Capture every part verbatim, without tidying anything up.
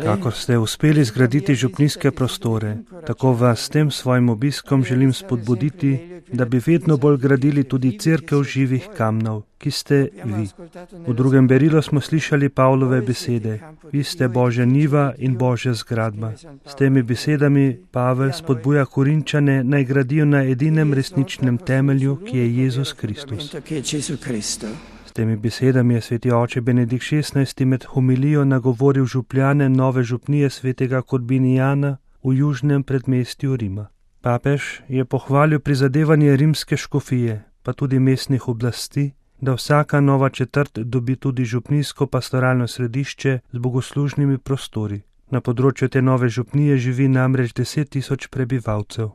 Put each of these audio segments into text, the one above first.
Kakor ste uspeli zgraditi župnijske prostore, tako vas s tem svojim obiskom želim spodbuditi, da bi vedno bolj gradili tudi cerkev živih kamnov, ki ste vi. V drugem berilu smo slišali Pavlove besede: Vi ste Božja njiva in Božja zgradba. S temi besedami Pavel spodbuja Korinčane, naj gradijo na edinem resničnem temelju, ki je Jezus Kristus. S temi besedami je sveti oče Benedikt šestnajsti med homilijo nagovoril župljane nove župnije svetega Korbinijana v južnem predmestju Rima. Papež je pohvalil prizadevanje rimske škofije, pa tudi mestnih oblasti, da vsaka nova četrt dobi tudi župnijsko pastoralno središče z bogoslužnimi prostori. Na področju te nove župnije živi namreč deset tisoč prebivalcev.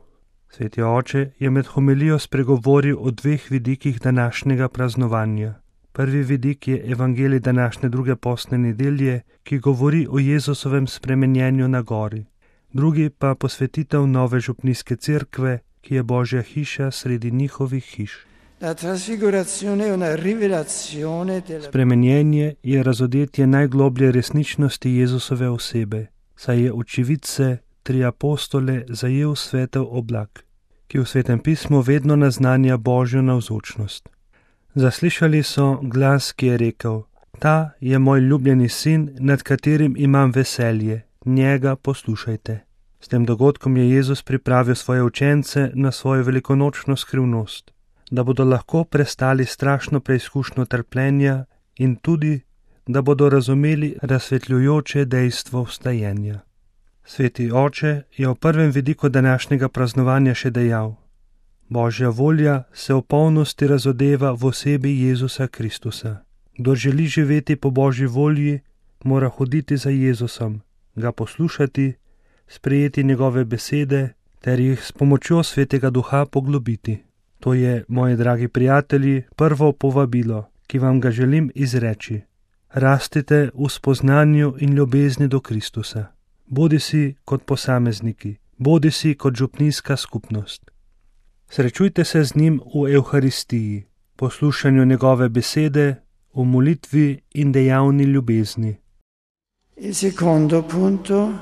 Sveti oče je med homilijo spregovoril o dveh vidikih današnjega praznovanja. Prvi vidik je evangelij današnje druge postne nedelje, ki govori o Jezusovem spremenjenju na gori. Drugi pa posvetitev nove župnijske cerkve, ki je Božja hiša sredi njihovih hiš. Spremenjenje je razodetje najgloblje resničnosti Jezusove osebe, saj je očividce, tri apostole, zajel svetel oblak, ki v Svetem pismu vedno naznanja Božjo navzočnost. Zaslišali so glas, ki je rekel: Ta je moj ljubljeni sin, nad katerim imam veselje, njega poslušajte. S tem dogodkom je Jezus pripravil svoje učence na svojo velikonočno skrivnost, da bodo lahko prestali strašno preizkušnjo trpljenja in tudi, da bodo razumeli razsvetljujoče dejstvo vstajenja. Sveti oče je v prvem vidiku današnjega praznovanja še dejal: Božja volja se v polnosti razodeva v osebi Jezusa Kristusa. Kdor želi živeti po Božji volji, mora hoditi za Jezusom, ga poslušati, sprejeti njegove besede ter jih s pomočjo Svetega Duha poglobiti. To je, moji dragi prijatelji, prvo povabilo, ki vam ga želim izreči. Rastite v spoznanju in ljubezni do Kristusa. Bodisi kot posamezniki, bodisi kot župnijska skupnost. Srečujte se z njim v Evharistiji, poslušanju njegove besede, v molitvi in dejavni ljubezni. Il secondo punto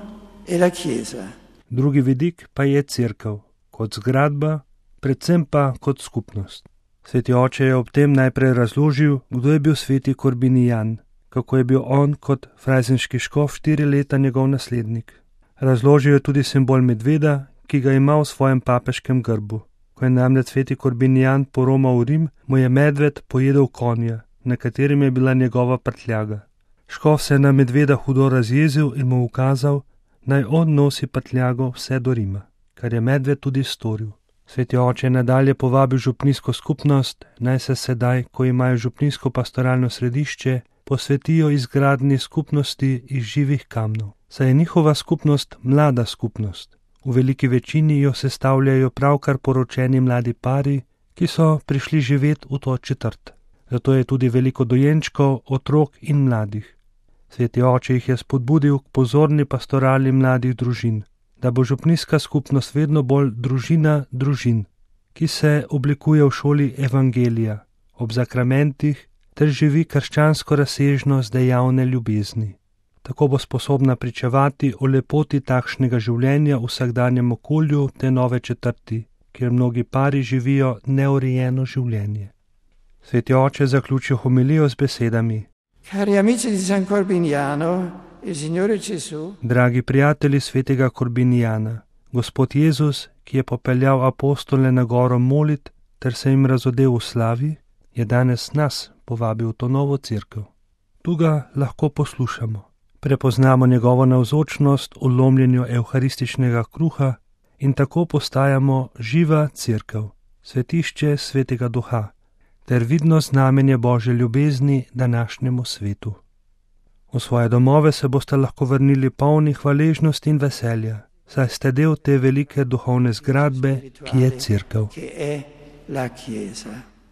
è la Chiesa. Drugi vidik pa je cerkev, kot zgradba, predvsem pa kot skupnost. Sveti oče je ob tem najprej razložil, kdo je bil sveti Korbinijan, kako je bil on kot frajzenški škof štiri leta njegov naslednik. Razložil je tudi simbol medveda, ki ga ima v svojem papeškem grbu. Ko je namreč sveti Korbinijan poromal v Rim, mu je medved pojedel konja, na katerem je bila njegova prtljaga. Škof se je na medveda hudo razjezil in mu ukazal, naj on nosi prtljago vse do Rima, kar je medved tudi storil. Sveti oče je nadalje povabil župnijsko skupnost, naj se sedaj, ko imajo župnijsko pastoralno središče, posvetijo izgradnji skupnosti iz živih kamnov. Saj je njihova skupnost mlada skupnost. V veliki večini jo sestavljajo pravkar poročeni mladi pari, ki so prišli živeti v to četrt. Zato je tudi veliko dojenčkov, otrok in mladih. Sveti oče jih je spodbudil k pozorni pastorali mladih družin, da bo župnijska skupnost vedno bolj družina družin, ki se oblikuje v šoli evangelija, ob zakramentih ter živi krščansko razsežnost dejavne ljubezni. Tako bo sposobna pričevati o lepoti takšnega življenja v vsakdanjem okolju te nove četrti, kjer mnogi pari živijo neurejeno življenje. Sveti oče zaključil homilijo z besedami: Cari amici di San Corbiniano, il Signore Gesù, dragi prijatelji svetega Korbinijana, Gospod Jezus, ki je popeljal apostole na goro molit ter se jim razodel v slavi, je danes nas povabil v to novo cerkev. Tu ga lahko poslušamo. Prepoznamo njegovo navzočnost v lomljenju evharističnega kruha in tako postajamo živa cerkev, svetišče Svetega Duha, ter vidno znamenje Božje ljubezni današnjemu svetu. V svoje domove se boste lahko vrnili polni hvaležnosti in veselja, saj ste del te velike duhovne zgradbe, ki je cerkev. Che è la Chiesa.